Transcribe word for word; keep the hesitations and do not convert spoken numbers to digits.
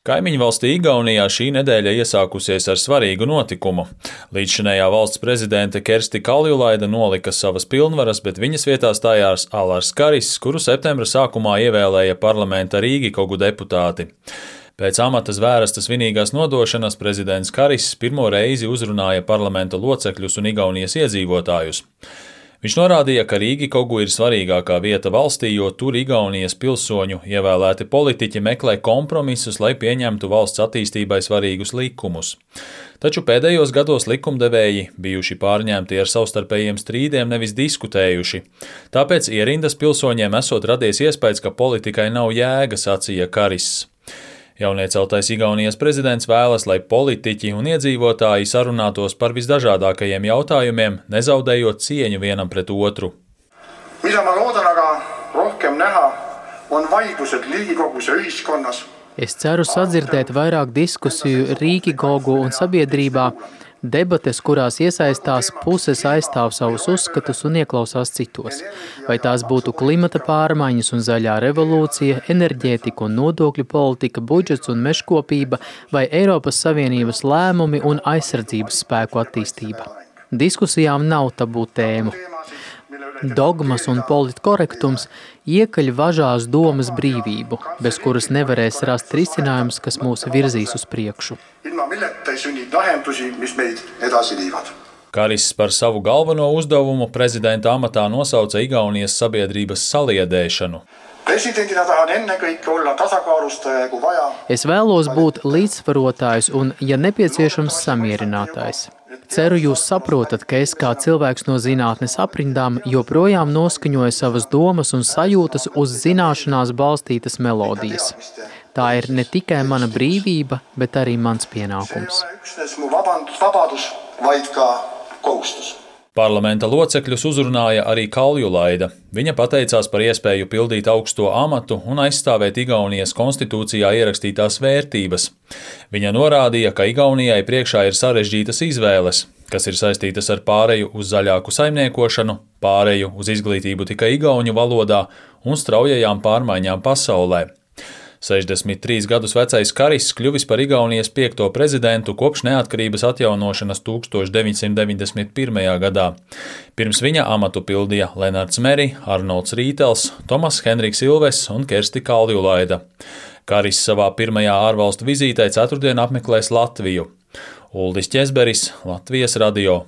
Kaimiņu valstī Igaunijā šī nedēļa iesākusies ar svarīgu notikumu. Līdzšinējā valsts prezidente Kersti Kaljulaide nolika savas pilnvaras, bet viņas vietā stājās Alars Karis, kuru septembra sākumā ievēlēja parlamenta Rīgikogu deputāti. Pēc amata zvērastas svinīgās nodošanas prezidents Karis pirmo reizi uzrunāja parlamenta locekļus un Igaunijas iedzīvotājus. Viņš norādīja, ka Rīgikogu ir svarīgākā vieta valstī, jo tur Igaunijas pilsoņu ievēlēti politiķi meklē kompromisus, lai pieņemtu valsts attīstībai svarīgus likumus. Taču pēdējos gados likumdevēji bijuši pārņemti ar savstarpējiem strīdiem, nevis diskutējuši. Tāpēc ierindas pilsoņiem esot radies iespējas, ka politikai nav jēga, sacīja Karis. Jaunieceltais Igaunijas prezidents vēlas, lai politiķi un iedzīvotāji sarunātos par visdažādākajiem jautājumiem, nezaudējot cieņu vienam pret otru. Mida ma loodan aga rohkem näha, on vaidlused Riigikogus ja ühiskonnas. Es ceru sadzirdēt vairāk diskusiju Rīgikogu un sabiedrībā, debates, kurās iesaistās puses aizstāv savus uzskatus un ieklausās citos. Vai tās būtu klimata pārmaiņas un zaļā revolūcija, enerģētika un nodokļu politika, budžets un mežkopība, vai Eiropas Savienības lēmumi un aizsardzības spēku attīstība. Diskusijām nav tabū tēmu. Dogmas un politkorektums iekaļ važās domas brīvību, bez kuras nevarēs rast risinājums, kas mūs virzīs uz priekšu. Karis par savu galveno uzdevumu prezidenta amatā nosauca Igaunijas sabiedrības saliedēšanu. Es vēlos būt līdzsvarotājs un, ja nepieciešams, samierinātājs. Ceru, jūs saprotat, ka es kā cilvēks no zinātnes aprindām joprojām noskaņoju savas domas un sajūtas uz zināšanās balstītas melodijas. Tā ir ne tikai mana brīvība, bet arī mans pienākums. Parlamenta locekļus uzrunāja arī Kaljulaide. Viņa pateicās par iespēju pildīt augsto amatu un aizstāvēt Igaunijas konstitūcijā ierakstītās vērtības. Viņa norādīja, ka Igaunijai priekšā ir sarežģītas izvēles, kas ir saistītas ar pāreju uz zaļāku saimniekošanu, pāreju uz izglītību tikai igauņu valodā un straujajām pārmaiņām pasaulē. sešdesmit trīs gadus vecais Karis kļuvis par Igaunijas piekto prezidentu kopš neatkarības atjaunošanas tūkstoš deviņsimt deviņdesmit pirmajā gadā. Pirms viņa amatu pildīja Lenards Meri, Arnolds Rītels, Tomas Henriks Ilves un Kersti Kaljulaide. Karis savā pirmajā ārvalstu vizītē ceturtdien apmeklēs Latviju. Uldis Ķezberis, Latvijas radio.